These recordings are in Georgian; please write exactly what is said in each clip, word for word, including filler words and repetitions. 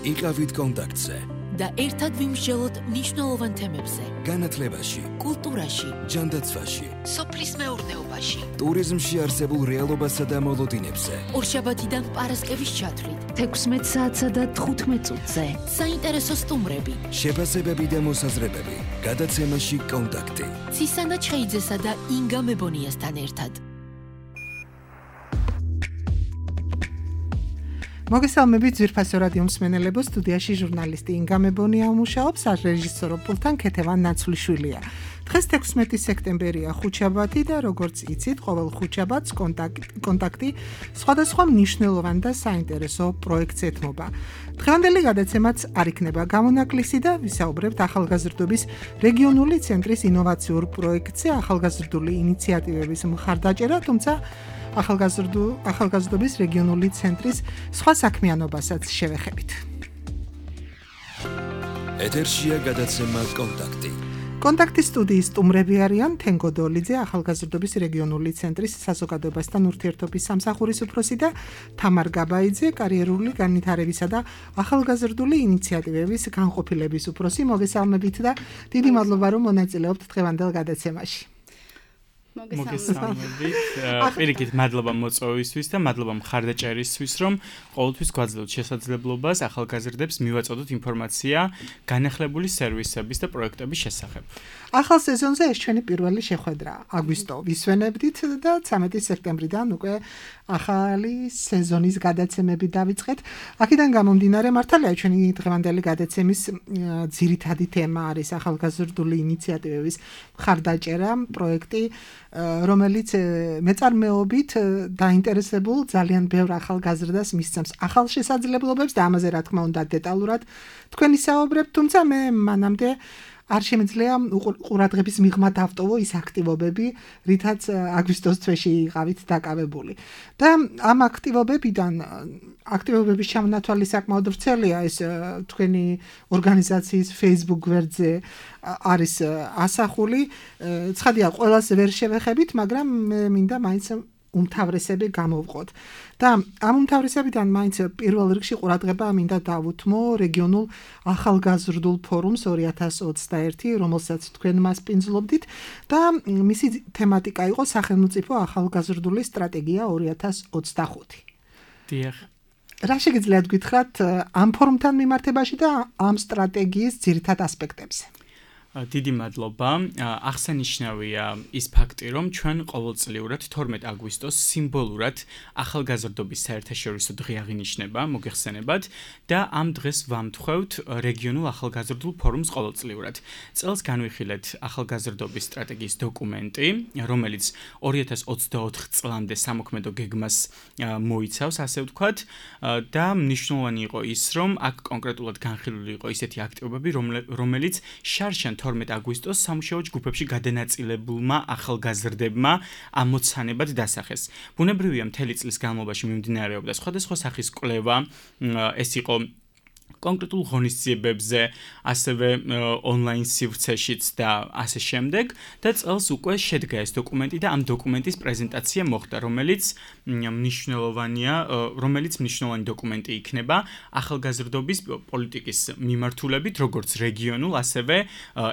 იყავით კონტაქტზე და ერთად ვიმსჯელოთ მნიშვნელოვან თემებზე. განათლებაში, კულტურაში, ჯანდაცვაში, სოფლის მეურნეობაში, ტურიზმში არსებულ რეალობასა და მოლოდინებზე. ორშაბათიდან პარასკევის ჩათვლით, თექვსმეტ საათსა და თხუთმეტ წუთზე. საინტერესო სტუმრები, შეფასებები და მოსაზრებები. გადაცემაში კონტაქტი. ცისანა ჩხეიძესა და ინგა მებონიასთან ერთად. მოგესალმებით ძვირფასო რადიო მსმენელებო, სტუდიაში ჟურნალისტი ინგა მებონია მუშაობს, რეჟისორო პულტთან ქეთევან ნაცვლიშვილია. დღეს თექვსმეტი სექტემბერია, ხუთშაბათი და როგორც იცით, ყოველ ხუთშაბათს კონტაქტი სხვადასხვა მნიშვნელოვან და საინტერესო პროექტს ეთმობა. დღევანდელი გადაცემაც არ იქნება გამონაკლისი და ვისაუბრებთ ახალგაზრდობის რეგიონული ცენტრის ინოვაციურ პროექტზე, ახალგაზრდული ინიციატივების მხარდაჭერა, თუმცა ახალგაზრდობის რეგიონული ცენტრის სხვა საქმიანობასაც შევეხებით. ეთერშია გადაცემა კონტაქტი. კონტაქტის სტუდიის სტუმრები არიან თენგო დოლიძე, ახალგაზრდობის რეგიონული ცენტრის საზოგადოებასთან ურთიერთობის სამსახურის უფროსი და თამარ გაბაიძე, კარიერული განვითარებისა და ახალგაზრდული ინიციატივების განყოფილების უფროსი. მოგესალმებით და დიდი მადლობა, რომ მონაწილეობთ დღევანდელ გადაცემაში. მოგესალმებით. პირიქით მადლობა მოწვევისთვის და მადლობა მხარდაჭერისთვის, რომ ყოველთვის გვაძლევთ შესაძლებლობას ახალგაზრდებს მივაწოდოთ ინფორმაცია განახლებული სერვისების და პროექტების შესახებ. ახალ სეზონზე ეს ჩვენი პირველი შეხვედრა. აგვისტო ვისვენებდით და ცამეტი სექტემბრიდან უკვე ახალი სეზონის გადაცემები დავიწყეთ. აქედან გამომდინარე, მართალია ჩვენი დღევანდელი გადაცემის ძირითადი თემა არის ახალგაზრდული ინიციატივების მხარდაჭერა, პროექტი, რომელიც მეწარმეობით დაინტერესებულ ძალიან ბევრ ახალგაზრდას მისცემს ახალ შესაძლებლობებს და ამაზე რა თქმა უნდა დეტალურად თქვენ ისაუბრებთ, თუმცა მე მანამდე არ შემიძლია ყურადღების მიღმა დავტოვო ის აქტივობები, რითაც აგვისტოს თვეში იყავით დაკავებული. და ამ აქტივობებიდან აქტივობების ჩამონათვალი საკმაოდ ვრცელია, ეს თქვენი ორგანიზაციის Facebook გვერდზე არის ასახული. ცხადია, ყველას ვერ შევეხებით, მაგრამ მე მინდა მაინც უმთავრესები გამოვყოთ. და ამ უმთავრესებიდან მაინც პირველ რიგში ყურადღება მინდა დავუთმო რეგიონულ ახალგაზრდულ ფორუმს ორი ათას ოცდაერთი, რომელსაც თქვენ მასპინძლობდით და მისი თემატიკა იყო სახელმწიფო ახალგაზრდული სტრატეგია ორი ათას ოცდახუთი. დიახ. რა შეგიძლიათ გითხრათ ამ ფორუმთან მიმართებაში და ამ სტრატეგიის ძირითად ასპექტებზე? დიდი მადლობა. აღსანიშნავია ის ფაქტი, რომ ჩვენ ყოველწლიურად თორმეტ აგვისტოს სიმბოლურად ახალგაზრდობის საერთაშორისო დღე აღინიშნება, მოგეხსენებათ და ამ დღეს ვამთხვევთ რეგიონულ ახალგაზრდულ ფორუმს ყოველწლიურად. წელს განვიხილეთ ახალგაზრდობის სტრატეგიის დოკუმენტი, რომელიც ორი ათას ოცდაოთხ წლამდე სამოქმედო გეგმას მოიცავს, ასე ვთქვათ, და მნიშვნელოვანი იყო ის, რომ აქ კონკრეტულად განხილული იყო ისეთი აქტივობები, რომელიც შარშან თორმეტ აგვისტოს სამუშაო ჯგუფებში გადანაწილებულმა ახალგაზრდებმა ამოცანებად დასახეს. ბუნებრივია, მთელი წლის განმავლობაში მიმდინარეობდა სხვადასხვა სახის კვლევა, ეს იყო კონკრეტულ ღონისძიებებზე, ასევე ონლაინ სივრცეშიც და ასე შემდეგ და წელს უკვე შედგა ეს დოკუმენტი და ამ დოკუმენტის პრეზენტაცია მოხდა, რომელიც მნიშვნელოვანია, რომელიც მნიშვნელოვანი დოკუმენტი იქნება ახალგაზრდობის პოლიტიკის მიმართულებით, როგორც რეგიონულ, ასევე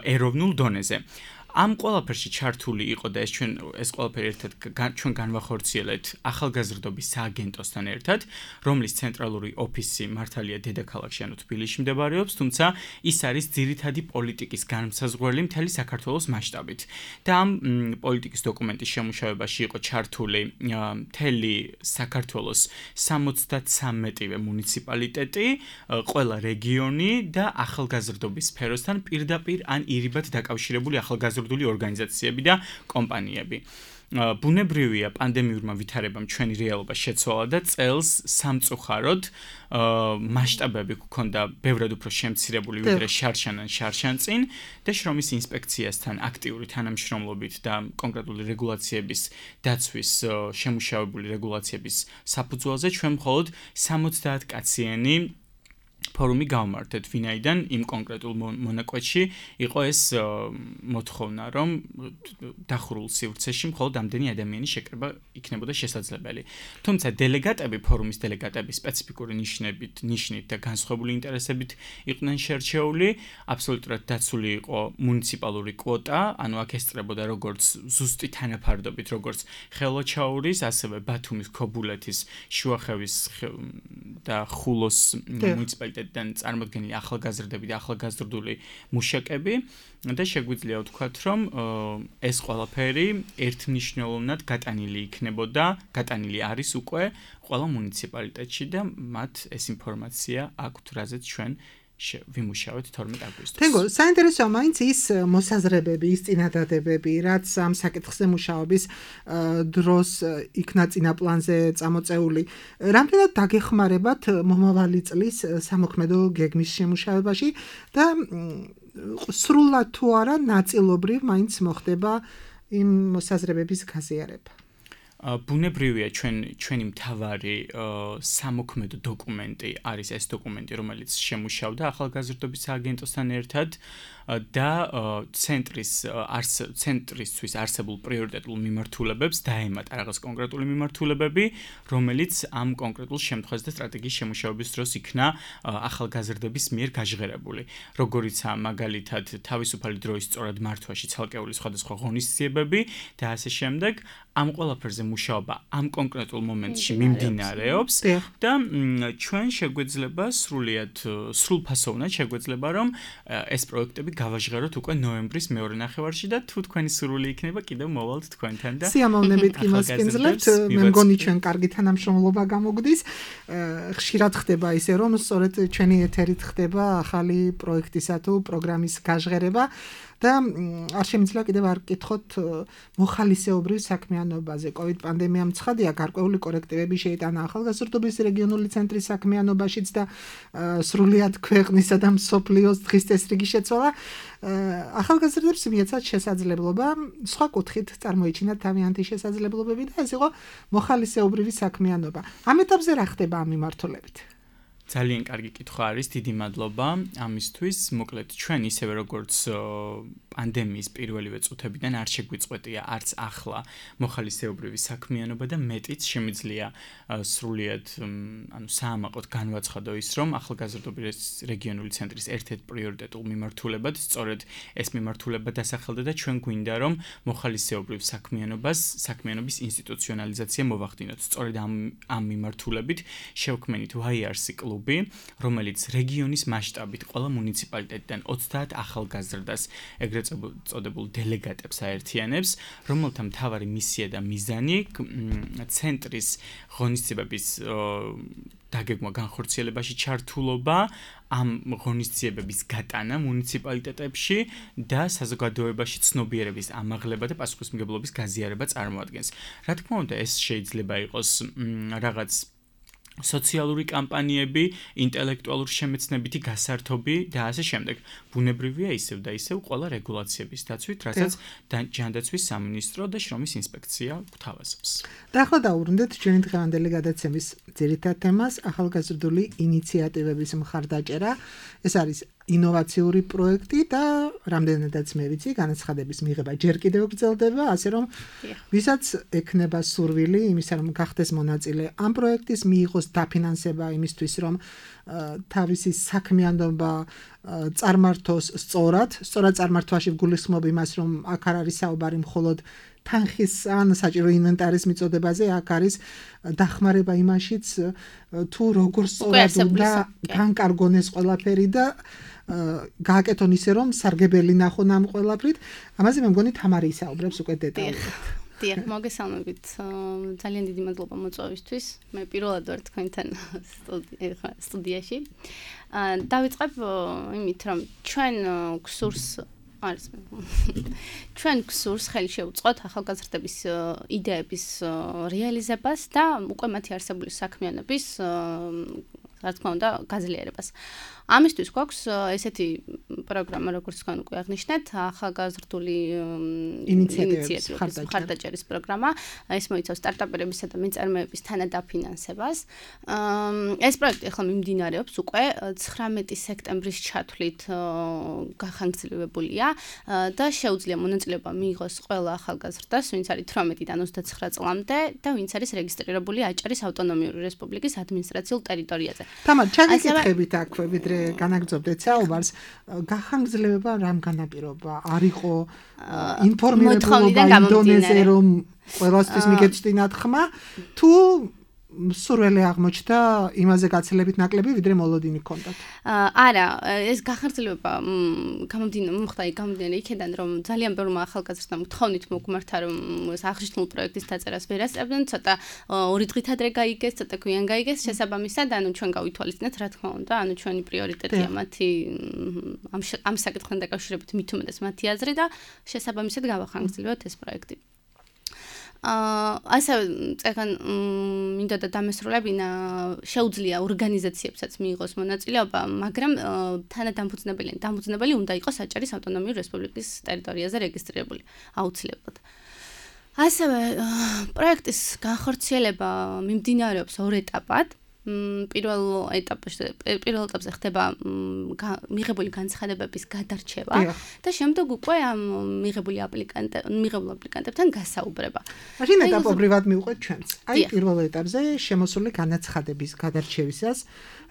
ეროვნულ დონეზე. ამ ყველაფერში ჩართული იყო და ეს ჩვენ ეს ყველაფერი ერთად ჩვენ განვახორციელეთ ახალგაზრდობის სააგენტოსთან ერთად, რომლის ცენტრალური ოფისი მართალია დედაქალაქში, ანუ თბილისში მდებარეობს, თუმცა ის არის ძირითადი პოლიტიკის განმსაზღვრელი მთელი საქართველოს მასშტაბით. და ამ პოლიტიკის დოკუმენტის შემუშავებაში იყო ჩართული მთელი საქართველოს სამოცდათსამეტივე მუნიციპალიტეტი, ყველა რეგიონი და ახალგაზრდობის სფეროსთან პირდაპირ ან ირიბად დაკავშირებული ახალგაზრდობის ორგანიზაციები და კომპანიები. ბუნებრივია, პანდემიურმა ვითარებამ ჩვენი რეალობა შეცვალა და წელს სამწუხაროდ მასშტაბები გქონდა ბევრად უფრო შემცირებული ვიდრე შარშან ან შარშანწინ და შრომის ინსპექციასთან აქტიური თანამშრომლობით და კონკრეტული რეგულაციების დაცვის შემუშავებული რეგულაციების საფუძველზე ჩვენ მხოლოდ სამოცდაათ კაციანი ფორუმი გავმართეთ, ვინაიდან იმ კონკრეტულ მონაკვეთში იყო ეს მოთხოვნა, რომ დახურულ სივრცეში მხოლოდ ამდენი ადამიანის შეკრება იქნებოდა შესაძლებელი. თუმცა დელეგატები, ფორუმის დელეგატები სპეციფიკური ნიშნებით, ნიშნით და განსხვავებული ინტერესებით იყვნენ შერჩეული, აბსოლუტურად დაცული იყო მუნიციპალური კვოტა, ანუ აქ ესწრებოდა როგორც ზუსტი თანაფარდობით, როგორც ხელვაჩაურის, ასევე ბათუმის, ქობულეთის, შუახევის და ხულოს მუნიციპალიტეტიდან წარმოდგენილი ახალგაზრდები და ახალგაზრდული მუშაკები და შეგვიძლია ვთქვათ, რომ ეს ყველაფერი ერთმნიშვნელოვნად გატანილი იქნებოდა, გატანილი არის უკვე ყველა მუნიციპალიტეტში და მათ ეს ინფორმაცია აქვთ, რაზეც ჩვენ ვიმუშავეთ თორმეტ აგვისტოს. თენგო, საინტერესოა მაინც ის მოსაზრებები, ის წინადადებები, რაც ამ საკითხზე მუშაობის დროს იქნა წინაპლანზე წამოწეული. რამდენად დაგეხმარებათ მომავალი წლის სამოქმედო გეგმის შემუშავებაში და სრულად თუ არა ნაწილობრივ მაინც მოხდება იმ მოსაზრებების გაზიარება. ბუნებრივია ჩვენ ჩვენი მთავარი სამოქმედო დოკუმენტი არის ეს დოკუმენტი, რომელიც შემუშავდა ახალგაზრდობის სააგენტოსთან ერთად და ცენტრის ცენტრისთვის არსებულ პრიორიტეტულ მიმართულებებს დაემატა რაღაც კონკრეტული მიმართულებები, რომელიც ამ კონკრეტულ შემთხვევაში და სტრატეგიის შემუშავების დროს იქნა ახალგაზრდების მიერ გაჟღერებული. როგორიცაა მაგალითად თავისუფალი დროის სწორად მართვაში ცალკეული სხვადასხვა ღონისძიებები და ასე შემდეგ. ამ ყველაფერზე მუშაობა ამ კონკრეტულ მომენტში მიმდინარეობს და ჩვენ შეგვეძლება სრულიად სრულფასოვნად შეგვეძლება რომ ეს პროექტები გავაჟღეროთ უკვე ნოემბრის მეორე ნახევარში და თუ თქვენი სურვილი იქნება კიდევ მოვალთ თქვენთან და სიამოვნებით იმას გენძლებთ. მე მგონი ჩვენ კარგი თანამშრომლობა გამოგვდის. ხშირად ხდება ისე რომ სწორედ ჩვენი ეთერით ხდება ახალი პროექტისა თუ პროგრამის გაჟღერება. და არ შემიძლია კიდევ არ გკითხოთ მოხალისეობრივ საქმიანობაზე. კოვიდ პანდემიამ ცხადია, გარკვეული კორექტივები შეიტანა ახალგაზრდობის რეგიონული ცენტრის საქმიანობაშიც და სრულიად ქვეყნისა და მსოფლიოს დღის წესრიგი შეცვალა. ახალგაზრდებს მიეცათ შესაძლებლობა სხვა კუთხით წარმოიჩინათ თავიანთი შესაძლებლობები და ეს იყო მოხალისეობრივი საქმიანობა. ამ ეტაპზე რა ხდება ამ მიმართულებით? ძალიან კარგი კითხვა არის, დიდი მადლობა ამისთვის. მოკლედ, ჩვენ ისევე როგორც პანდემიის პირველივე წუთებიდან არ შეგვიწყვეტია არც ახლა მოხალისეობრივი საქმიანობა და მეტიც შემიძლია სრულიად ანუ საამაყოდ განვაცხადო ის, რომ ახალგაზრდობის რეგიონული ცენტრის ერთ-ერთ პრიორიტეტულ მიმართულებად სწორედ ეს მიმართულება დასახელდა და ჩვენ გვინდა რომ მოხალისეობრივ საქმიანობას, საქმიანობის ინსტიტუციონალიზაცია მოვახდინოთ. სწორედ ამ ამ მიმართულებით შევქმნით ვაი არ სი კლუბი, რომელიც რეგიონის მასშტაბით ყველა მუნიციპალიტეტიდან ოცდაათ ახალგაზრდას ეგრეთ წოდებულ დელეგატებს აერთიანებს, რომელთა მთავარი მისია და მიზანი ცენტრის ღონისძიებების დაგეგმვა განხორციელებაში ჩართულობა, ამ ღონისძიებების გატანა მუნიციპალიტეტებში და საზოგადოებაში ცნობიერების ამაღლება და პასუხისმგებლობის გაზიარება წარმოადგენს. რა თქმა უნდა, ეს შეიძლება იყოს რაღაც სოციალური კამპანიები, ინტელექტუალური შემეცნებითი გასართობი და ასე შემდეგ. ბუნებრივია ისევ და ისევ ყველა რეგულაციების დაცვით, რასაც ჯანდაცვის სამინისტრო და შრომის ინსპექცია გვთავაზობს. და ახლა დავუბრუნდეთ ჩვენი დღევანდელი გადაცემის ძირითად თემას, ახალგაზრდული ინიციატივების მხარდაჭერა. ეს არის ინოვაციური პროექტი და რამდენადაც მე ვიცი, განაცხადების მიღება ჯერ კიდევ გრძელდება, ასე რომ ვისაც ექნება სურვილი იმისა, რომ გახდეს მონაწილე ამ პროექტის, მიიღოს დაფინანსება იმისთვის, რომ თავისი საქმიანობა წარმართოს სწორად, სწორად წარმართვაში გულისხმობ იმას, რომ აქ არ არის საუბარი მხოლოდ თანხის ან საჭირო ინვენტარის მიწოდებაზე, აქ არის დახმარება იმაშიც, თუ როგორ სწორად უნდა განკარგონ ეს ყველაფერი და გააკეთონ ისე, რომ სარგებელი ნახონ ამ ყველაფრით. ამაზე მე მგონი თამარი ისაუბრებს უკვე დეტალურად. დიახ, მოგესალმებით. ძალიან დიდი მადლობა მოწვევისთვის. მე პირველად ვარ თქვენთან სტუდიაში. დავიწყებ იმით, რომ ჩვენ გსურს არის ჩვენ გსურს ხელი შევუწყოთ ახალგაზრდების იდეების რეალიზებას და უკვე მათი არსებული საქმიანობის რა თქმა უნდა, გაძლიერებას. ამისთვის გვაქვს ესეთი პროგრამა, როგორც თქვენ უკვე აღნიშნეთ, ახალგაზრდული ინიციატივის მხარდაჭერის პროგრამა. ეს მოიცავს სტარტაპერებისა და მეწარმეების თანადაფინანსებას. ეს პროექტი ახლა მიმდინარეობს უკვე ცხრამეტი სექტემბრის ჩათვლით გახანგრძლივებულია და შეუძლია მონაწილეობა მიიღოს ყველა ახალგაზრდას, ვინც არის თვრამეტიდან ოცდაცხრა წლამდე და ვინც არის რეგისტრირებული აჭარის ავტონომიური რესპუბლიკის ადმინისტრაციულ ტერიტორიაზე. თამარ, ჩაგიკითხებით აქვე, ვიდრე განაგრძობდეთ საუბარს, გახანგრძლივება რამ განაპირობა? არ იყო ინფორმირებულობა ინდონეზე, რომ ყველასთვის მიგეწვდინათ ხმა, თუ სურველი აღმოჩნდა იმაზე გაცილებით ნაკლები, ვიდრე მოლოდინი ჰქონდათ? არა, ეს გახანგრძლივება გამოდინება გამომდინარე იქიდან, რომ ძალიან ბევრმა ახალგაზრდამ თხოვნით მოგმართა, რომ ეს აღნიშნულ პროექტის დაწერას ვერ ასწრებდნენ, ცოტა ორი დღით ადრე გაიგეს, ცოტა გვიან გაიგეს, შესაბამისად, ანუ ჩვენ გავითვალისწინეთ, რა თქმა უნდა, ანუ ჩვენი პრიორიტეტია მათი ამ ამ საკითხთან დაკავშირებით მით უმეტეს მათი აზრი და შესაბამისად გავახანგრძლივოთ ეს პროექტი. ასევე წეგან მინდა და დამესრულებინა შეუძლია ორგანიზაციებსაც მიიღოს მონაწილეობა, მაგრამ თანადამფუძნებელი დამფუძნებელი უნდა იყოს აჭარის ავტონომიური რესპუბლიკის ტერიტორიაზე რეგისტრირებული აუცილებლად. ასევე პროექტის განხორციელება მიმდინარეობს ორ ეტაპად. პირველ ეტაპში პირველ ეტაპზე ხდება მიღებული განცხადებების გადარჩევა და შემდეგ უკვე ამ მიღებული აპლიკანტ მიღებულ აპლიკანტებთან გასაუბრება. მაშინ ეტაპობრივად მივყვეთ ჩვენც. აი პირველ ეტაპზე შემოსული განაცხადების გადარჩევისას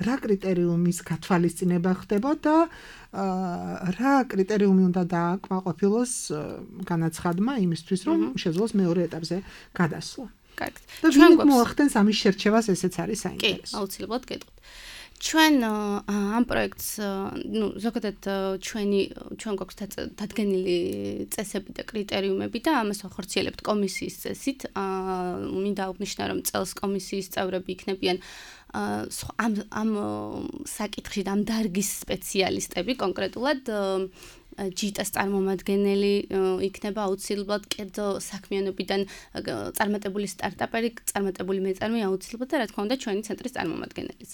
რა კრიტერიუმის გათვალისწინება ხდება და რა კრიტერიუმი უნდა დააკმაყოფილოს განაცხადმა იმისთვის, რომ შეძლოს მეორე ეტაპზე გადასვლა. კარგად. ჩვენ მოახდენს ამის შერჩევას, ესეც არის საინტერესო. კი, აუცილებლად გეტყვით. ჩვენ ამ პროექტს, ნუ ზოგადად ჩვენი ჩვენ გვაქვს დადგენილი წესები და კრიტერიუმები და ამას ვახორციელებთ კომისიის წესით. მინდა აღნიშნო, რომ წელს კომისიის წევრები იქნებიან ამ ამ საკითხში და ამ დარგის სპეციალისტები კონკრეტულად ჯიტას წარმომადგენელი იქნება აუცილებლად კერძო საქმიანობიდან წარმატებული სტარტაპერი, წარმატებული მეწარმე აუცილებლად და რა თქმა უნდა ჩვენი ცენტრის წარმომადგენელიც.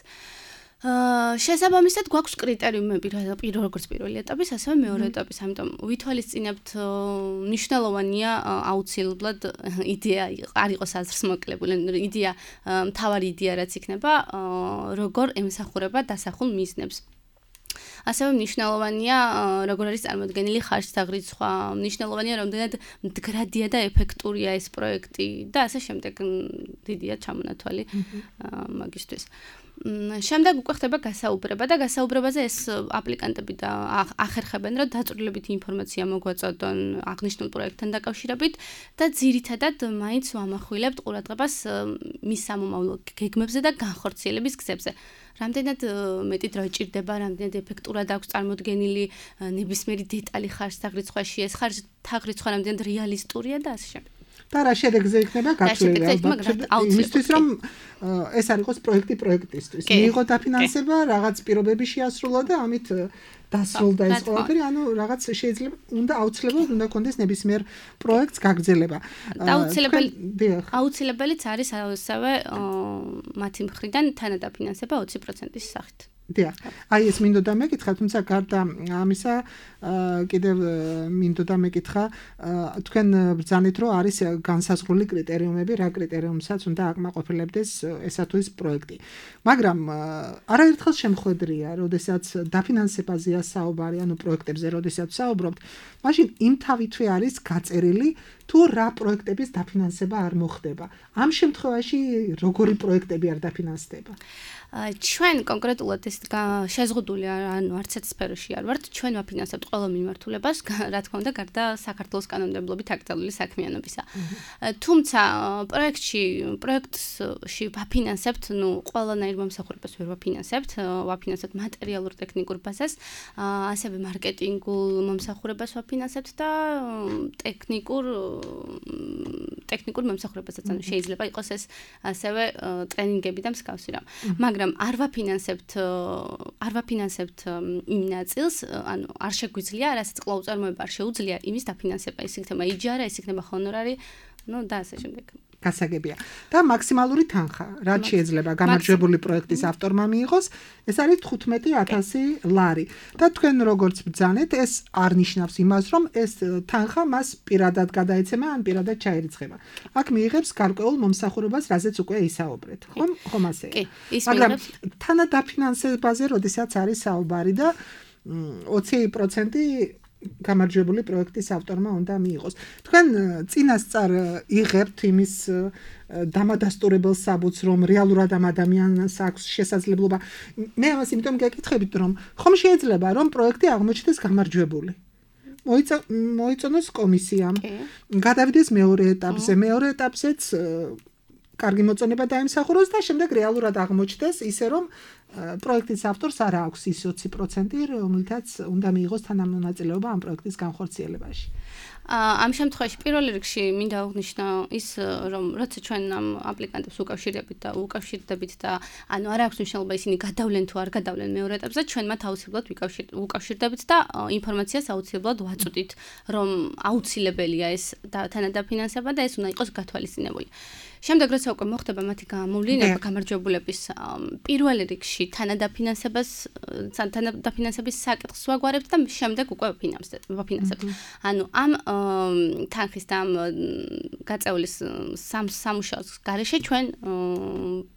შესაბამისად გვაქვს კრიტერიუმები პირველ როგორც პირველი ეტაპის, ასევე მეორე ეტაპის, ამიტომ ვითვალისწინებთ მნიშვნელოვანია აუცილებლად იდეა არ იყოს აზრს მოკლებული, იდეა მთავარი იდეა რაც იქნება, როგორ ემსახურება დასახულ მიზნებს. ასევე მნიშვნელოვანია როგორ არის წარმოდგენილი ხარჯთაღრიცხვა, მნიშვნელოვანია რამდენად მდგრადია და ეფექტურია ეს პროექტი და ასე შემდეგ დიდია ჩამონათვალი მაგისთვის. შემდეგ უკვე ხდება გასაუბრება და გასაუბრებაზე ეს აპლიკანტები და ახერხებენ, რომ დაწვრილებითი ინფორმაცია მოგვაწოდონ აღნიშნულ პროექტთან დაკავშირებით და ძირითადად მაინც ვამახვილებთ ყურადღებას მის სამომავლო გეგმებზე და განხორციელების გზებზე. რამდენად მეტი დრო ჭირდება, რამდენად ეფექტურად აქვს წარმოდგენილი ნებისმიერი დეტალი ხარჯთაღრიცხვაში, ეს ხარჯთაღრიცხვა რამდენად რეალისტურია და ასე შემდეგ. და რა შედეგზე იქნება გაცვლილი იმისთვის, რომ ეს არ იყოს პროექტი პროექტისთვის. მიიღო დაფინანსება, რაღაც პირობები შეასრულა და ამით დასრულდა ეს ყველაფერი, ანუ რაღაც შეიძლება უნდა აუცილებლად უნდა კონდეს ნებისმიერ პროექტს გაგრძელება. აუცილებელი აუცილებელიც არის ასევე მათი მხრიდან თანადაფინანსება ოცი პროცენტის სახით. დიახ. აი ეს მინდოდა მეკითხა, თუმცა გარდა ამისა კიდევ მინდოდა მეკითხა, თქვენ ბრძანეთ, რომ არის განსაზღვრული კრიტერიუმები, რა კრიტერიუმსაც უნდა აკმაყოფილებდეს ესა თუ ის პროექტი. მაგრამ არაერთხელ შემხვედრია, როდესაც დაფინანსებაზეა საუბარი, ანუ პროექტებზე, როდესაც საუბრობთ, მაშინ იმ თავითვე არის გაწერილი თუ რა პროექტების დაფინანსება არ მოხდება. ამ შემთხვევაში როგორი პროექტები არ დაფინანსდება? ჩვენ კონკრეტულად ეს შეზღუდული ანუ არც ერთ სფეროში არ ვართ, ჩვენ ვაფინანსებთ ყველა მიმართულებას, რა თქმა უნდა, გარდა საქართველოს კანონმდებლობით აკრძალული საქმიანობისა. თუმცა პროექტში, პროექტში ვაფინანსებთ, ნუ ყველანაირ მომსახურებას ვერ ვაფინანსებთ, ვაფინანსებთ მატერიალურ ტექნიკურ ბაზას, ასევე მარკეტინგულ მომსახურებას ვაფინანსებთ და ტექნიკურ ტექნიკურ მომსახურებასაც, ანუ შეიძლება იყოს ეს ასევე ტრენინგები და მსგავსი რამ. მაგრამ არ ვაფინანსებთ არ ვაფინანსებთ იმ ნაწილს, ანუ არ შეგვიძლია, რასაც კვლავ წარმოება არ შეუძლია იმის დაფინანსება, ეს იქნება იჯარა, ეს იქნება ჰონორარი, ну და ასე შემდეგ. გასაგებია. და მაქსიმალური თანხა, რაც შეიძლება გამარჯვებული პროექტის ავტორმა მიიღოს, ეს არის თხუთმეტი ათასი ლარი. და თქვენ როგორც ბრძანეთ, ეს არ ნიშნავს იმას, რომ ეს თანხა მას პირადად გადაეცემა ან პირადად ჩაერიცხება. აქ მიიღებს გარკვეულ მომსახურებას, რაზეც უკვე ისაუბრეთ. ხომ? ხომ ასეა. მაგრამ თანადაფინანსებაზე, როდესაც არის საუბარი და ოცი პროცენტი გამარჯვებული პროექტის ავტორმა უნდა მიიღოს. თქვენ წინასწარ იღებთ იმის დამადასტურებელ საბუთს, რომ რეალურად ამ ადამიანს აქვს შესაძლებლობა. მე ამას იმიტომ გეკითხებით, რომ ხომ შეიძლება, რომ პროექტი აღმოჩნდეს გამარჯვებული. მოიწონოს კომისიამ, გადავიდეს მეორე ეტაპზე, მეორე ეტაპზეც კარგი მოწონება დაიმსახუროს და შემდეგ რეალურად აღმოჩნდეს ისე, რომ პროექტის ავტორს არ აქვს ის ოცი პროცენტი, რომელთაც უნდა მიიღოს თანამონაწილეობა ამ პროექტის განხორციელებაში. ამ შემთხვევაში პირველ რიგში მინდა აღნიშნო ის, რომ როცა ჩვენ ამ აპლიკანტებს უკავშირდებით და უკავშირდებით და ანუ არ აქვს მნიშვნელობა ისინი გადავლენ თუ არ გადავლენ მეორე ეტაპზე, ჩვენ მათ აუცილებლად უკავშირდებით და ინფორმაციას აუცილებლად ვაწვდით, რომ აუცილებელია ეს თანადაფინანსება და ეს უნდა იყოს გათვალისწინებული. შემდეგ როცა უკვე მოხდება მათი გამოვლინება გამარჯვებულების პირველ რიგში თანადაფინანსებას თანადაფინანსების საკითხს ვაგვარებთ და შემდეგ უკვე ვაფინანსებთ. ანუ ამ თანხის და ამ გაწეულის სამუშაოს გარეშე ჩვენ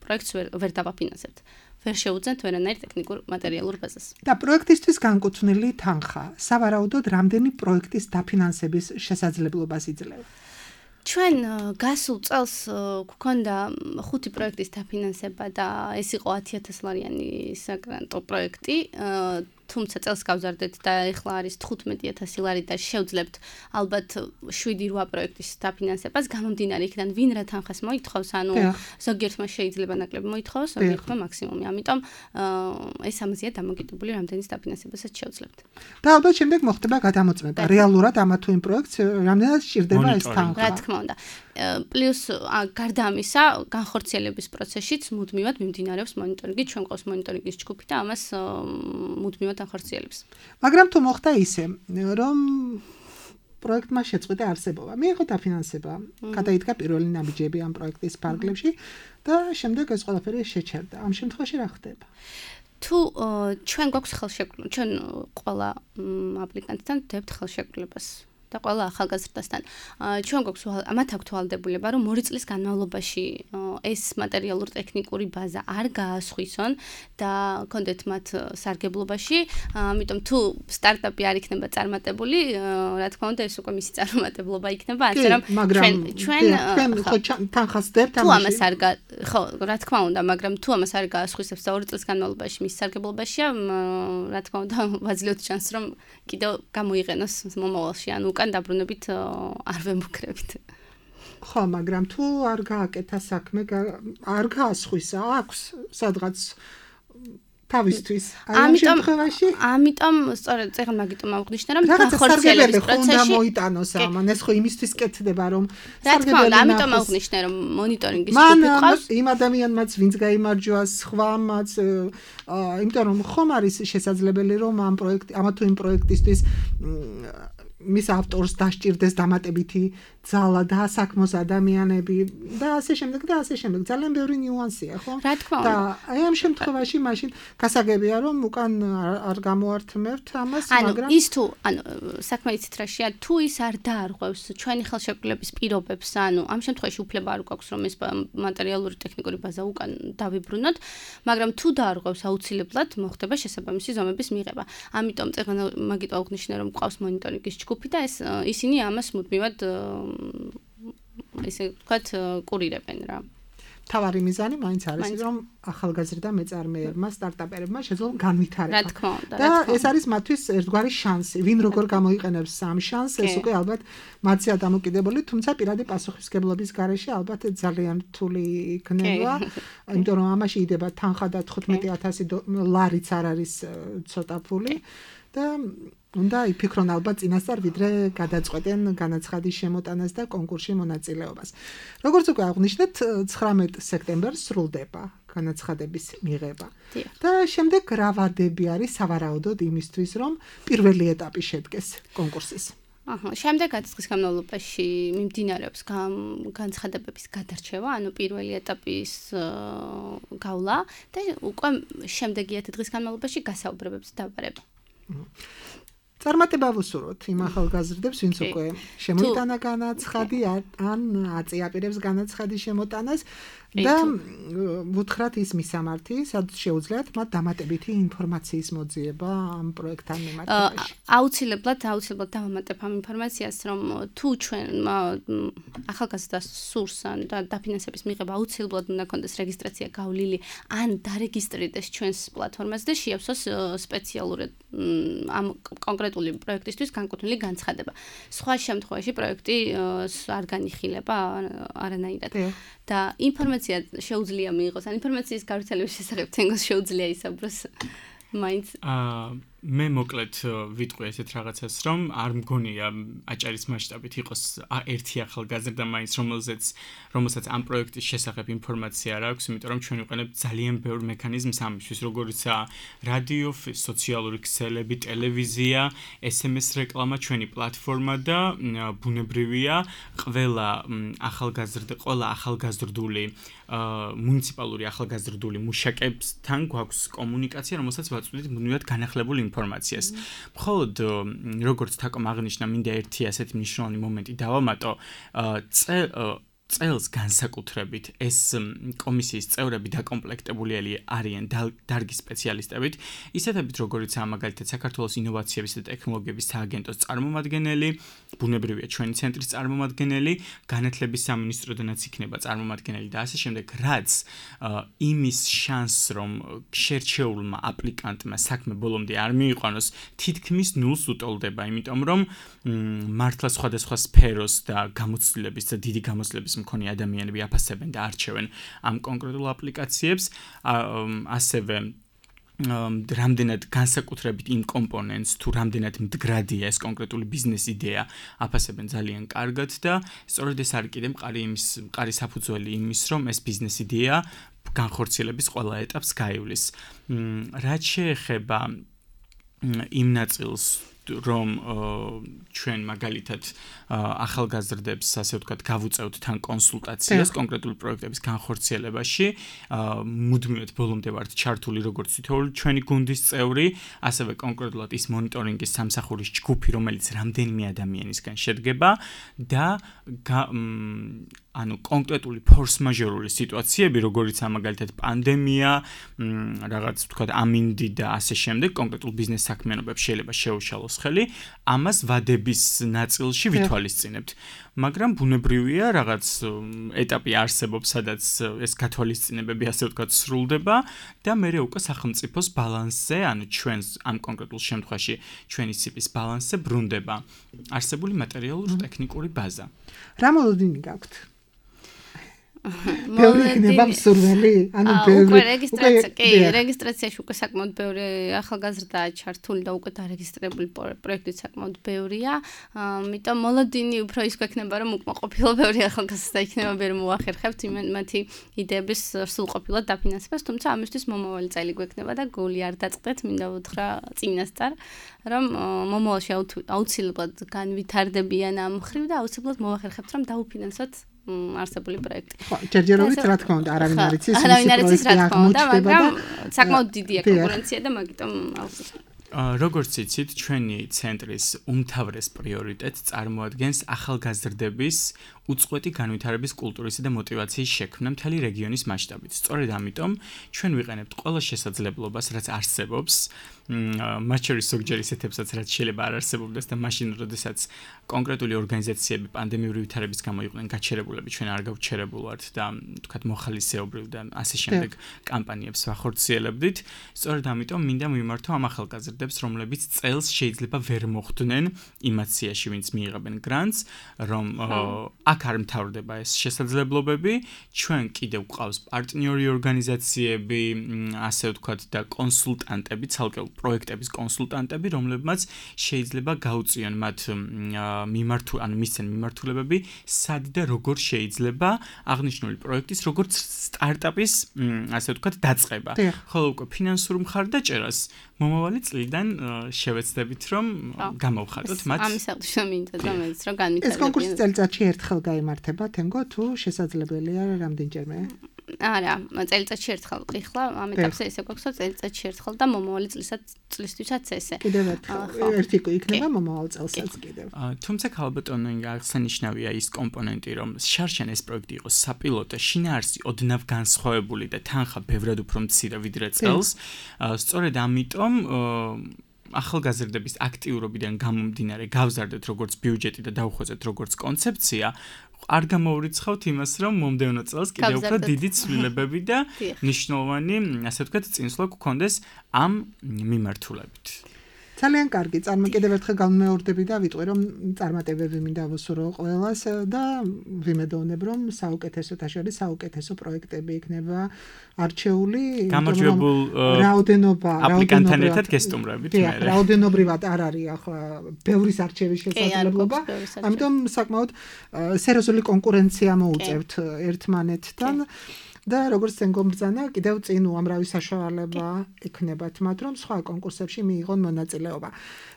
პროექტს ვერ დავაფინანსებთ. ვერ შეუძენთ ვერანაირ ტექნიკურ მატერიალურ ბაზას. და პროექტისთვის განკუთვნილი თანხა სავარაუდოდ რამდენი პროექტის დაფინანსების შესაძლებლობას იძლევა? ჩვენ გასულ წელს გვქონდა ხუთი პროექტის დაფინანსება და ეს იყო ათი ათას ლარიანი საგრანტო პროექტი. თუმცა წელს გავზარდეთ და ეხლა არის თხუთმეტი ათასი ლარი და შევძლებთ ალბათ შვიდი რვა პროექტის დაფინანსებას გამომდინარე იქიდან ვინ რა თანხას მოითხოვს, ანუ ზოგიერთმა შეიძლება ნაკლები მოითხოვოს, ზოგიერთმა მაქსიმუმი. ამიტომ ეს ამაზეა დამოკიდებული, რამდენის დაფინანსებასაც შევძლებთ. და ალბათ შემდეგ მოხდება გადამოწმება. რეალურად ამა თუ იმ პროექტს რამდენად სჭირდება ეს თანხა. რა თქმა უნდა. პლუს გარდა ამისა, განხორციელების პროცესშიც მუდმივად მიმდინარეობს მონიტორინგი, ჩვენ ყავს მონიტორინგის ჯგუფი და ამას მუდმივად ახორციელებს. მაგრამ თუ მოხდა ისე, რომ პროექტმა შეწყვიტა არსებობა, მიიღო დაფინანსება, გადაიდგა პირველი ნაბიჯები ამ პროექტის ფარგლებში და შემდეგ ეს ყველაფერი შეჩერდა. ამ შემთხვევაში რა ხდება? თუ ჩვენ გვაქვს ხელშეკრულება, ჩვენ ყველა აპლიკანტთან ვდებთ ხელშეკრულებას და ყველა ახალგაზრდასთან. ჩვენ გვაქვს მათ აქვთ ვალდებულება, რომ ორი წლის განმავლობაში ეს მატერიალურ ტექნიკური ბაზა არ გაასხვისონ და კონდეთ მათ სარგებლობაში. ამიტომ თუ სტარტაპი არ იქნება წარმატებული, რა თქმა უნდა, ეს უკვე მისი წარმატებლობა იქნება, ასე რომ ჩვენ ჩვენ თანხას დებთ ამაში. თუ ამას არ ხო, რა თქმა უნდა, მაგრამ თუ ამას არ გაასხვისებს და ორი წლის განმავლობაში მისი სარგებლობაშია, რა თქმა უნდა, ვაძლევთ ჩანს, რომ კიდევ გამოიყენოს მომავალში, ანუ უკან დაბრუნებით არ ვემუქრებით. ხო, მაგრამ თუ არ გააკეთა საქმე, არ გაასხვისა, აქვს სადღაც თავისთვის. ამ შემთხვევაში, ამიტომ სწორედ წეგან მაგიტომ აღნიშნე, რომ განხორციელების პროცესში უნდა მოიტანოს ამან, ეს ხო იმისთვის კეთდება, რომ სარგებელი ამიტომ აღნიშნე, რომ მონიტორინგის ჯგუფი ყავს. იმ ადამიანმაც, ვინც გაიმარჯვა, სხვამაც, იმიტომ რომ ხომ არის შესაძლებელი, რომ ამ პროექტ, ამა თუ იმ პროექტისთვის მის ავტორს დასჭირდეს დამატებითი ძალა და საქმოს ადამიანები და ასე შემდეგ და ასე შემდეგ. ძალიან ბევრი ნიუანსია, ხო? რა თქმა უნდა. და აი ამ შემთხვევაში მაშინ გასაგებია, რომ უკან არ გამოართმევთ ამას, მაგრამ ანუ ის თუ ანუ საქმე იცით რა შეა, თუ ის არ დაარღვევს ჩვენი ხელშეკრულების პირობებს, ანუ ამ შემთხვევაში უფლება არ გვაქვს, რომ ეს მატერიალური ტექნიკური ბაზა უკან დავიბრუნოთ, მაგრამ თუ დაარღვევს, აუცილებლად მოხდება შესაბამისი ზომების მიღება. ამიტომ წეგან მაგიტო აღნიშნე, რომ ყავს მონიტორინგის ჯგუფი და ეს ისინი ამას მუდმივად ესე ვთქვათ კურირებენ რა. თავარი მიზანი მაინც არის, რომ ახალგაზრდა მეწარმეებმა, სტარტაპერებმა შეძლონ განვითარება. რა თქმა უნდა. და ეს არის მათთვის ერთგვარი შანსი. ვინ როგორ გამოიყენებს ამ შანსს, ეს უკვე ალბათ მათზეა დამოკიდებული, თუმცა პირადი პასუხისმგებლობის გარეშე ალბათ ძალიან რთული იქნება, იმიტომ რომ ამაში იდება თანხა და თხუთმეტი ათასი ლარიც არ არის ცოტა ფული და უნდა იფიქრონ ალბათ წინასწარ, ვიდრე გადაწყვეტენ განაცხადის შემოტანას და კონკურსში მონაწილეობას. როგორც უკვე აღნიშნეთ, ცხრამეტ სექტემბერს სრულდება განაცხადების მიღება. და შემდეგ რა ვადები არის სავარაუდოდ იმისთვის, რომ პირველი ეტაპი შედგეს კონკურსის? აჰა, შემდეგაც დღის განმავლობაში მიმდინარეობს განცხადებების გადარჩევა, ანუ პირველი ეტაპის გავლა და უკვე შემდეგი ათი დღის განმავლობაში გასაუბრებებს დავარება. წარმატება ვუსურვოთ იმ ახალგაზრდებს, ვინც უკვე შემოიტანა განაცხადი ან აწიაპირებს განაცხადის შემოტანას და ვუთხრათ ის მისამართი, სადაც შეუძლიათ მათ დამატებითი ინფორმაციის მოძიება ამ პროექტთან მიმართებაში. აუცილებლად, აუცილებლად დავამატებ ამ ინფორმაციას, რომ თუ ჩვენ ახალგაზრდას სურს ან დაფინანსების მიღება აუცილებლად უნდა კონდეს რეგისტრაცია გავლილი ან დარეგისტრირდეს ჩვენს პლატფორმაზე და შეავსოს სპეციალური ამ კონკრეტული პროექტისთვის განკუთვნილი განცხადება. სხვა შემთხვევაში პროექტი არ განიხილება არანაირად. და ინფორმაცია შეუძლია მიიღოს, ან ინფორმაციის გავრცელების შესახებ თენგოს შეუძლია ისაუბროს მაინც. აა მე მოკლედ ვიტყვი ესეთ რაღაცას, რომ არ მგონია აჭარის მასშტაბით იყოს ერთი ახალგაზრდა მაინც, რომელზეც რომელსაც ამ პროექტის შესახებ ინფორმაცია არ აქვს, იმიტომ რომ ჩვენ ვიყენებთ ძალიან ბევრ მექანიზმს ამისთვის, როგორიცაა რადიო, სოციალური ქსელები, ტელევიზია, ეს ემ ეს რეკლამა, ჩვენი პლატფორმა და ბუნებრივია ყველა ახალგაზრდა, ყველა ახალგაზრდული მუნიციპალური ახალგაზრდული მუშაკებთან გვაქვს კომუნიკაცია, რომელსაც ვაწვდით ბუნებრივად განახლებულ ინფორმაციას. მხოლოდ როგორც თაკომ აღნიშნა, მინდა ერთი ასეთი მნიშვნელოვანი მომენტი დავამატო, წელს განსაკუთრებით ეს კომისიის წევრები დაკომპლექტებული არიან დარგის სპეციალისტებით, ისეთებით როგორიცაა მაგალითად საქართველოს ინოვაციების და ტექნოლოგიების სააგენტოს წარმომადგენელი, ბუნებრივია ჩვენი ცენტრის წარმომადგენელი, განათლების სამინისტროდანაც იქნება წარმომადგენელი და ასე შემდეგ, რაც იმის შანსს, რომ შერჩეულმა აპლიკანტმა საქმე ბოლომდე არ მიიყვანოს, თითქმის ნულს უტოლდება, იმიტომ რომ მართლა სხვადასხვა სფეროს და გამოცდილების და დიდი გამოცდილების მქონე ადამიანები აფასებენ და არჩევენ ამ კონკრეტულ აპლიკაციებს, ასევე რამდენად განსაკუთრებით იმ კომპონენტს თუ რამდენად მდგრადია ეს კონკრეტული ბიზნეს იდეა აფასებენ ძალიან კარგად და სწორედ ეს არის კიდე მყარი იმის მყარი საფუძველი იმის რომ ეს ბიზნეს იდეა განხორციელების ყველა ეტაპს გაივლის. რაც შეეხება იმ ნაწილს რომ ჩვენ მაგალითად ახალგაზრდებს ასე ვთქვათ გავუწევთ თან კონსულტაციას კონკრეტული პროექტების განხორციელებაში, მუდმივად ბოლომდე ვართ ჩართული როგორც თითოეული ჩვენი გუნდის წევრი, ასევე კონკრეტულად ის მონიტორინგის სამსახურის ჯგუფი, რომელიც რამდენიმე ადამიანისგან შედგება და ანუ კონკრეტული ფორს-მაჟორული სიტუაციები, როგორიცაა მაგალითად პანდემია, რაღაც ვთქვათ ამინდი და ასე შემდეგ, კონკრეტულ ბიზნეს საქმიანობებს შეიძლება შეუშალოს ხელი, ამას ვადების ნაწილში ვითვალისწინებთ. მაგრამ ბუნებრივია, რაღაც ეტაპი არსებობს, სადაც ეს გათვალისწინებები ასე ვთქვათ სრულდება და მერე უკვე სახელმწიფოს ბალანსზე, ანუ ჩვენს ამ კონკრეტულ შემთხვევაში ჩვენი სიპის ბალანსზე ბრუნდება არსებული მატერიალურ-ტექნიკური ბაზა. რა მოლოდინი გაქვთ? ბევრი იქნება მსურველი, ანუ ბევრი. უკვე რეგისტრაცია, კი, რეგისტრაციაში უკვე საკმაოდ ბევრი ახალგაზრდაა ჩართული და უკვე დარეგისტრირებული პროექტიც საკმაოდ ბევრია. ამიტომ მოლოდინი უფრო ის გვექნება, რომ უკმაყოფილო ბევრი ახალგაზრდა იქნება, ვერ მოახერხებთ მათი იდეების სრულყოფილად დაფინანსებას, თუმცა ამისთვის მომავალი წელი გვექნება და გული არ დაწყდეთ, მინდა ვუთხრა წინასწარ, რომ მომავალში აუცილებლად განვითარდებიან ამ მხრივ და აუცილებლად მოახერხებთ, რომ დაუფინანსოთ არსებული პროექტი. ხო, ჯერჯერობით რა თქმა უნდა, არავინ არ იცის, არავინ არ იცის რა თქმა უნდა, მაგრამ საკმაოდ დიდია კონკურენცია და მაგიტომ აუცილებლად. როგორც იცით, ჩვენი ცენტრის უმთავრეს პრიორიტეტს წარმოადგენს ახალგაზრდების უწყვეტი განვითარების კულტურისა და мотиваციის შექმნა მთელი რეგიონის მასშტაბით. სწორედ ამიტომ ჩვენ ვიყენებთ ყველა შესაძლებლობას, რაც არსებობს, მათ შორის ზოგჯერ ისეთებსაც, რაც შეიძლება არ არსებობდეს და მაშინ, როდესაც კონკრეტული ორგანიზაციები პანდემიური ვითარების გამო იყვნენ გაჩერებულები, ჩვენ არ გავჩერებულვართ და თქვათ მოხალისეობრივ და ასე შემდეგ კამპანიებს ვახორციელებდით. სწორედ ამიტომ მინდა მიმართო ამ ახალგაზრდებს, რომლებიც წელს შეიძლება ვერ მოხვდნენ იმაციაში, ვინც მიიღებენ გრანტს, რომ აქ არ მთავრდება ეს შესაძლებლობები, ჩვენ კიდევ გვყავს პარტნიორი ორგანიზაციები, ასე ვთქვათ და კონსულტანტები, ცალკეულ პროექტების კონსულტანტები, რომლებმაც შეიძლება გაუწიონ მათ მიმართულ, ანუ მისცენ მიმართულებები, სად და როგორ შეიძლება აღნიშნული პროექტის, როგორც სტარტაპის, ასე ვთქვათ, დაწყება. ხოლო უკვე ფინანსურ მხარდაჭერას მომავალი წლით მწვერვალიდან შევეცდებით რომ გამოვხატოთ მათ. ამის აღნიშნა მინდა და მეც რომ განვითარებიან. ეს კონკურსი წელიწადში ერთხელ გაიმართება, თენგო თუ შესაძლებელია რამდენჯერმე? არა, წელიწადში ერთხელ ყიხლა, ამ ეტაპზე ესე გვაქვს, რომ წელიწადში ერთხელ და მომავალი წლისაც წლისთვისაც ესე. კიდევ ერთხელ ერთი იქნება მომავალ წელსაც კიდევ. თუმცა ქალბატონო ინგა აღსანიშნავია ის კომპონენტი, რომ შარშან ეს პროექტი იყოს საპილოტო, შინაარსი ოდნავ განსხვავებული და თანხა ბევრად უფრო მცირე ვიდრე წელს. სწორედ ამიტომ ახალგაზრდების აქტიურობიდან გამომდინარე გავზარდეთ როგორც ბიუჯეტი და დავუხვეწეთ როგორც კონცეფცია. არ გამოურიცხავთ იმას, რომ მომდევნო წელს კიდევ უფრო დიდი ცვლილებები და მნიშვნელოვანი, ასე ვთქვათ, წინსვლა გქონდეს ამ მიმართულებით. ძალიან კარგი, წარმოკიდებ ერთხელ გამმეორდები და ვიტყვი რომ წარმატებები მინდა ვუსურვო ყველას და ვიმედოვნებ რომ საუკეთესოთა შორის საუკეთესო პროექტები იქნება არჩეული. გამარჯვებულ რაოდენობა, აპლიკანტთან ერთად გესტუმრებით მე. რაოდენობრივად არ არის ახლა ბევრის არჩევის შესაძლებლობა. ამიტომ საკმაოდ სერიოზული კონკურენცია მოუწევთ ერთმანეთთან. და როგორც წინ გომბრძანა, კიდევ წინ უამრავი საშუალება ექნებათ მათ, რომ სხვა კონკურსებში მიიღონ მონაწილეობა.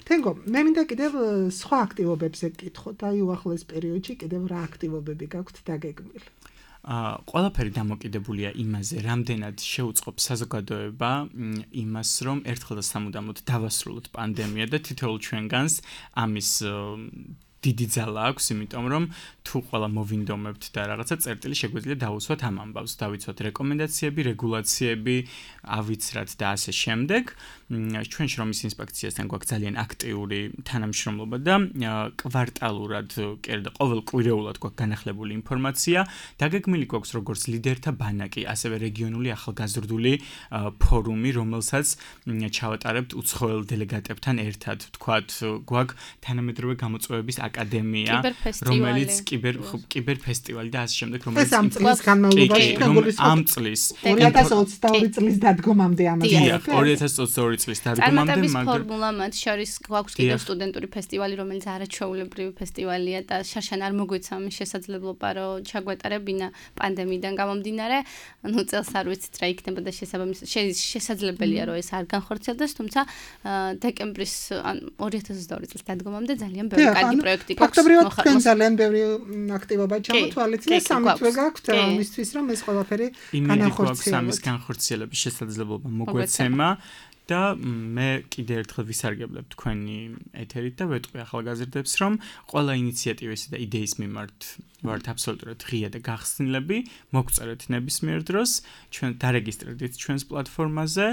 თენგო, მე მინდა კიდევ სხვა აქტივობებზე გკითხოთ, აი უახლოეს პერიოდში კიდევ რა აქტივობები გაქვთ დაგეგმილი? აა ყველაფერი დამოკიდებულია იმაზე, რამდენად შეუწყობს საზოგადოება იმას, რომ ერთხელ და სამუდამოდ დავასრულოთ პანდემია და თითოეულ ჩვენგანს ამის დიდი ძალა აქვს, იმიტომ რომ თუ ყველა მოვინდომებთ და რაღაცა წერტილი შეგვიძლია დავუსვათ ამ ამბავს, დავიცვათ რეკომენდაციები, რეგულაციები, ავიცრათ და ასე შემდეგ. ჩვენ შრომის ინსპექციასთან გვაქვს ძალიან აქტიური თანამშრომლობა და კვარტალურად, კიდე ყოველ კვირეულად გვაქვს განახლებული ინფორმაცია. დაგეგმილი გვაქვს როგორც ლიდერთა ბანაკი, ასევე რეგიონული ახალგაზრდული ფორუმი, რომელსაც ჩავატარებთ უცხოელ დელეგატებთან ერთად. ვთქვათ, გვაქვს თანამედროვე გამოწვევების აკადემია, რომელიც კიბერ კიბერფესტივალი და ასე შემდეგ, რომელიც ამ წლის განმავლობაში ამ წლის ორი ათას ოცდაორი წლის დადგომამდე ამაზე. ორი ათას ოცდაორი წლის დადგომამდე, მაგრამ ფორმულა მათ შორის გვაქვს კიდევ სტუდენტური ფესტივალი, რომელიც არაჩვეულებრივი ფესტივალია და შარშან არ მოგვეცა ამის შესაძლებლობა, რომ ჩაგვეტარებინა პანდემიიდან გამომდინარე. ნუ წელს არ ვიცით რა იქნება და შესაძლებელია რომ ეს არ განხორციელდეს, თუმცა დეკემბრის ან ორი ათას ოცდაორი წლის დადგომამდე ძალიან ბევრი კარგი პროექტი გვაქვს. ფაქტობრივად თქვენ ძალიან ბევრი აქტივობა ჩამოთვალეთ და სამთვე გაქვთ ამისთვის, რომ ეს ყველაფერი განახორციელოს. ამის განხორციელების შესაძლებლობა მოგვეცემა. და მე კიდე ერთხელ ვისარგებლებ თქვენი ეთერით და ვეტყვი ახალგაზრდებს, რომ ყველა ინიციატივისა და იდეის მიმართ ვართ აბსოლუტურად ღია და გახსნილები, მოგწერეთ ნებისმიერ დროს, ჩვენ დარეგისტრირდით ჩვენს პლატფორმაზე,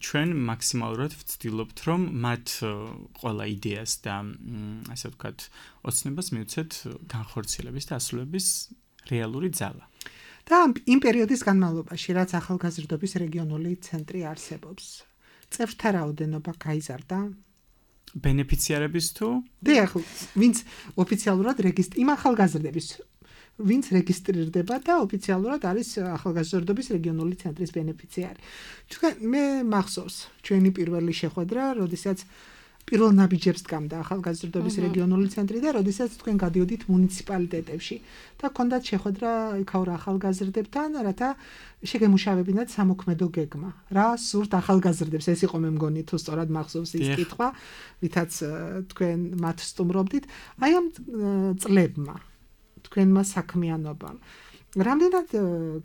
ჩვენ მაქსიმალურად ვცდილობთ, რომ მათ ყველა იდეას და ასე ვთქვათ, ოცნებას მივცეთ განხორციელების და ასრულების რეალური ძალა. და იმ პერიოდის განმავლობაში, რაც ახალგაზრდობის რეგიონული ცენტრი არსებობს, წევრთა რაოდენობა გაიზარდა? ბენეფიციარების თუ? დიახ, ვინც ოფიციალურად რეგისტრი, იმ ახალგაზრდების, ვინც რეგისტრირდება და ოფიციალურად არის ახალგაზრდობის რეგიონული ცენტრის ბენეფიციარი. ჩვენ მე მახსოვს ჩვენი პირველი შეხვედრა, როდესაც პირველ ნაბიჯებს დგამდა ახალგაზრდობის რეგიონული ცენტრი და როდესაც თქვენ გადიოდით მუნიციპალიტეტებში და გქონდათ შეხვედრა იქაურ ახალგაზრდებთან, რათა შეგემუშავებინათ სამოქმედო გეგმა. რა სურთ ახალგაზრდებს, ეს იყო მე მგონი თუ სწორად მახსოვს ის კითხვა, ვითაც თქვენ მათ სტუმრობდით. აი ამ წლებმა, თქვენმა საქმიანობამ, რამდენად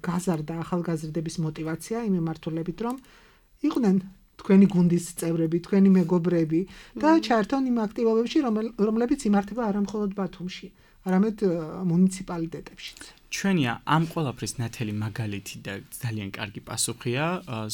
გაზარდა ახალგაზრდების мотиваცია იმ მიმართულებით, რომ იყვნენ თქვენი გუნდის წევრები, თქვენი მეგობრები და ჩაერთონ იმ აქტივობებში, რომლებიც იმართება არა მხოლოდ ბათუმში, არამედ მუნიციპალიტეტებშიც. ჩვენია ამ ყველაფრის ნათელი მაგალითი და ძალიან კარგი პასუხია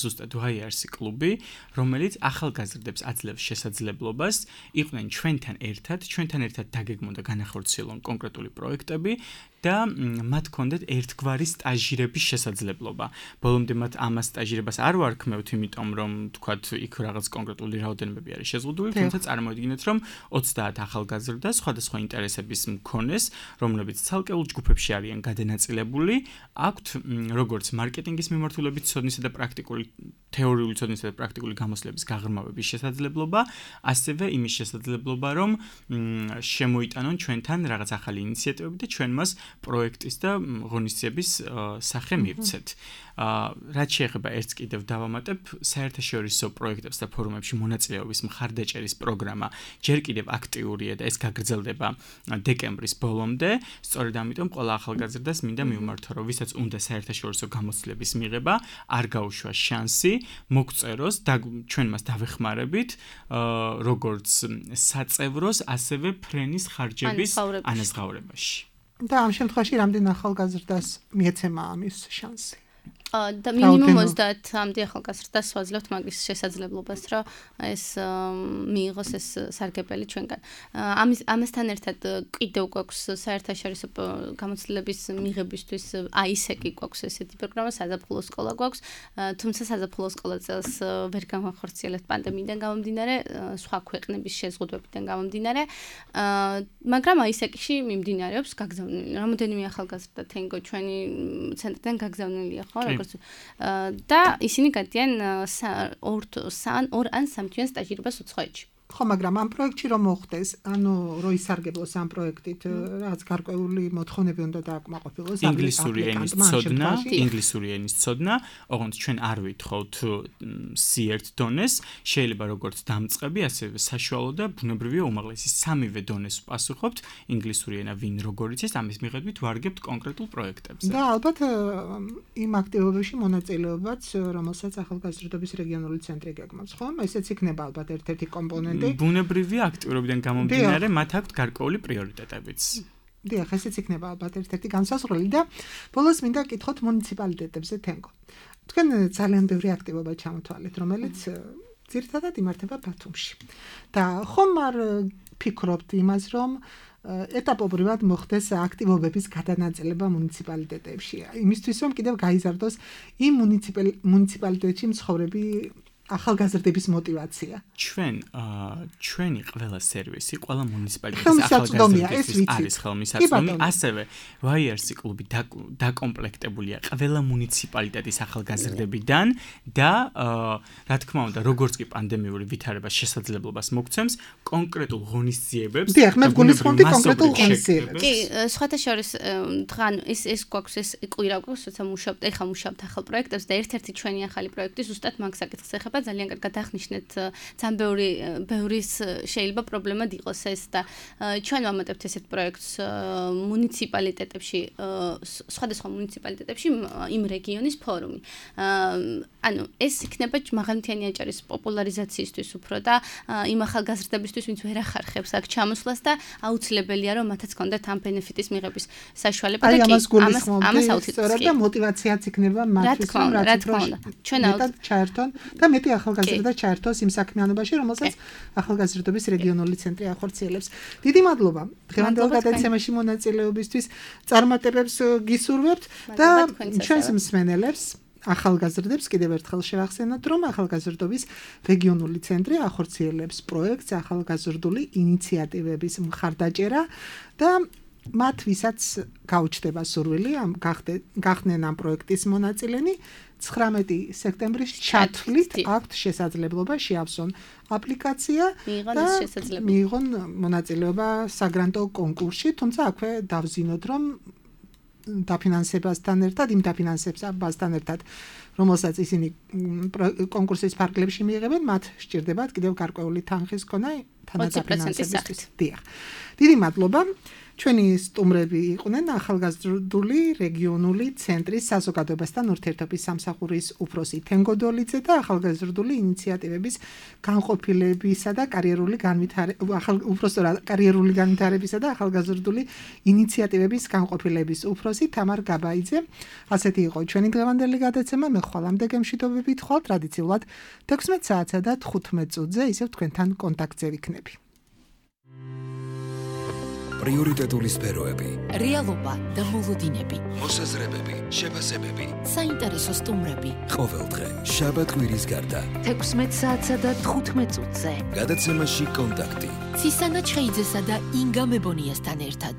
ზუსტად ვაიარსი კლუბი, რომელიც ახალგაზრდებს აძლევს შესაძლებლობას იყვნენ ჩვენთან ერთად, ჩვენთან ერთად დაგეგმონ და განახორციელონ კონკრეტული პროექტები და მათ ჰქონდეთ ერთგვარი სტაჟირების შესაძლებლობა. ბოლომდე მათ ამას სტაჟირებას არ ვარქმევთ, იმიტომ რომ თქვათ იქ რაღაც კონკრეტული რაოდენობები არის შეზღუდული, თუმცა წარმოვიდგინეთ, რომ ოცდაათ ახალგაზრდა სხვადასხვა ინტერესების მქონეს, რომლებიც ცალკეულ ჯგუფებში არიან გადანაწილებული, აქვთ როგორც მარკეტინგის მიმართულებით ცოდნისა და პრაქტიკული თეორიული ცოდნისა და პრაქტიკული გამოცდილების გაღრმავების შესაძლებლობა, ასევე იმის შესაძლებლობა, რომ შემოიტანონ ჩვენთან რაღაც ახალი ინიციატივები და ჩვენ მას პროექტის და ღონისძიების სახე მივცეთ. რაც შეეხება ერთს კიდევ დავამატებ, საერთაშორისო პროექტებს და ფორუმებში მონაწილეობის მხარდაჭერის პროგრამა ჯერ კიდევ აქტიურია და ეს გაგრძელდება დეკემბრის ბოლომდე. სწორედ ამიტომ ყველა ახალგაზრდას მინდა მივმართო, რომ ვისაც უნდა საერთაშორისო გამოცდილების მიღება, არ გაუშვა შანსი, მოგწეროს და ჩვენ მას დავეხმარებით, როგორც საწევროს, ასევე ფრენის ხარჯების ანაზღაურებაში. და ამ შემთხვევაში რამდენ ახალგაზრდას მიეცემა ამის შანსი? და მინიმუმ ოცდაათამდე ახალგაზრდას ვაძლევთ მაგის შესაძლებლობას, რომ ეს მიიღოს ეს სარგებელი ჩვენგან. ამის ამასთან ერთად კიდევ გვაქვს საერთაშორისო გამოცდილების მიღებისთვის აისეკი გვაქვს ესეთი პროგრამა, საზაფხულო სკოლა გვაქვს, თუმცა საზაფხულო სკოლა წელს ვერ განვახორციელებთ პანდემიიდან გამომდინარე, სხვა ქვეყნების შეზღუდვებიდან გამომდინარე, მაგრამ აისეკში მიმდინარეობს გაგზავნილი. რამოდენიმე ახალგაზრდა თენგო ჩვენი ცენტრიდან გაგზავნილია, ხო? და ისინი გადიან ორ ან სამ თვიან სტაჟირებას უცხოეთში. ხო, მაგრამ ამ პროექტში რომ მოხდეს, ანუ რო ისარგებლოს ამ პროექტით, რაც გარკვეული მოთხოვნები უნდა დააკმაყოფილოს, ინგლისური ენის ცოდნა, ინგლისური ენის ცოდნა, ოღონდ ჩვენ არ ვითხოვთ სი ერთ დონეს, შეიძლება როგორც დამწყები, ასევე საშუალო და ბუნებრივია უმაღლესი სამივე დონეს ვპასუხობთ, ინგლისური ენა ვინ როგორ იცის, ამის მიხედვით ვარგებთ კონკრეტულ პროექტებზე. და ალბათ იმ აქტივობებში მონაწილეობაც, რომელსაც ახალგაზრდობის რეგიონული ცენტრი გეგმავს, ხო? ესეც იქნება ალბათ ერთ-ერთი კომპონენტი. ბუნებრივია აქტიურობიდან გამომდინარე, მათ აქვთ გარკვეული პრიორიტეტებიც. დიახ, ესეც იქნება ალბათ ერთ-ერთი განსაზღვრელი და ბოლოს მინდა კითხოთ მუნიციპალიტეტებზე თენგო. თქვენ ძალიან ბევრი აქტივობა ჩამოთვალეთ, რომელიც ძირითადად იმართება ბათუმში. და ხომ არ ფიქრობთ იმას, რომ ეტაპობრივად მოხდეს აქტივობების გადანაწილება მუნიციპალიტეტებში. იმისთვის რომ კიდევ გაიზარდოს იმ მუნიციპალიტეტში მცხოვრები ახალგაზრდების мотивация. ჩვენ ჩვენი ყველა სერვისი, ყველა მუნიციპალიტეტის ახალგაზრდების არის ხელმისაწვდომი, ასევე ვაიერსი კლუბი დაკომპლექტებულია ყველა მუნიციპალიტეტის ახალგაზრდებიდან და რა თქმა უნდა, როგორც კი პანდემიური ვითარება შესაძლებლობას მოგცემს კონკრეტულ ღონისძიებებს. დიახ, მე გულისხმობდი კონკრეტულ ღონისძიებებს. კი, სხვათა შორის დღან ეს ეს გვაქვს ეს კვირა გვაქვს, როცა მუშაობთ, ეხლა მუშაობთ ახალ პროექტებს და ერთ-ერთი ჩვენი ახალი პროექტი ზუსტად მაგ საკითხს ეხება. ძალიან კარგად აღნიშნეთ, ძალიან ბევრი ბევრის შეიძლება პრობლემად იყოს ეს და ჩვენ ვამატებთ ესეთ პროექტს მუნიციპალიტეტებში, სხვადასხვა მუნიციპალიტეტებში იმ რეგიონის ფორუმი. ანუ ეს იქნება მაღალმთიანი აჭარის პოპულარიზაციისთვის უფრო და იმ ახალგაზრდებისთვის, ვინც ვერ ახარხებს აქ ჩამოსვლას და აუცილებელია რომ მათაც კონდეთ ამ ბენეფიტის მიღების საშუალება და კი ამას ამას აუცილებლად და мотивациაც იქნება მათთვის რომ რაც ჩვენ ჩაერთონ და მეტი ახალგაზრდა ჩაერთოს იმ საქმიანობაში, რომელსაც ახალგაზრდობის რეგიონული ცენტრი ახორციელებს. დიდი მადლობა დღევანდელ გადაცემაში მონაწილეობისთვის. წარმატებებს გისურვებთ და ჩვენს მსმენელებს ახალგაზრდებს კიდევ ერთხელ შევახსენოთ, რომ ახალგაზრდობის რეგიონული ცენტრი ახორციელებს პროექტს ახალგაზრდული ინიციატივების მხარდაჭერა და მათ ვისაც გაუჩნდება სურვილი ამ გახდნენ ამ პროექტის მონაწილენი, ცხრამეტი სექტემბრის ჩათვლით აქვთ შესაძლებლობა შეავსონ აპლიკაცია და მიიღონ მონაწილეობა საგრანტო კონკურსში, თუმცა აქვე დავზინოთ, რომ დაფინანსებასთან ერთად, იმ დაფინანსებასთან ერთად, რომელსაც ისინი კონკურსის ფარგლებში მიიღებენ, მათ სჭირდებათ კიდევ გარკვეული თანხის ქონა თანადაფინანსებისთვის. დიახ. დიდი მადლობა. ჩვენი სტუმრები იყვნენ ახალგაზრდული რეგიონული ცენტრის საზოგადოებასთან ურთიერთობის სამსახურის უფროსი თენგო დოლიძე და ახალგაზრდული ინიციატივების განყოფილებისა და კარიერული განვითარების კარიერული განვითარებისა და ახალგაზრდული ინიციატივების განყოფილების უფროსი თამარ გაბაიძე. ასეთი იყო ჩვენი დღევანდელი გადაცემა. მე ხვალამდე გემშვიდობებით ხვალ ტრადიციულად თექვსმეტ საათსა და თხუთმეტ წუთზე ისევ თქვენთან კონტაქტზე ვიქნები. პრიორიტეტული სფეროები, რეალობა და მოლოდინები, მოსაზრებები, შეფასებები, საინტერესო სტუმრები. ყოველდღე შაბათ-კვირის გარდა თექვსმეტ საათსა და თხუთმეტ წუთზე გადაცემაში კონტაქტი. ცისანა ჩხეიძესა და ინგა მებონიასთან ერთად.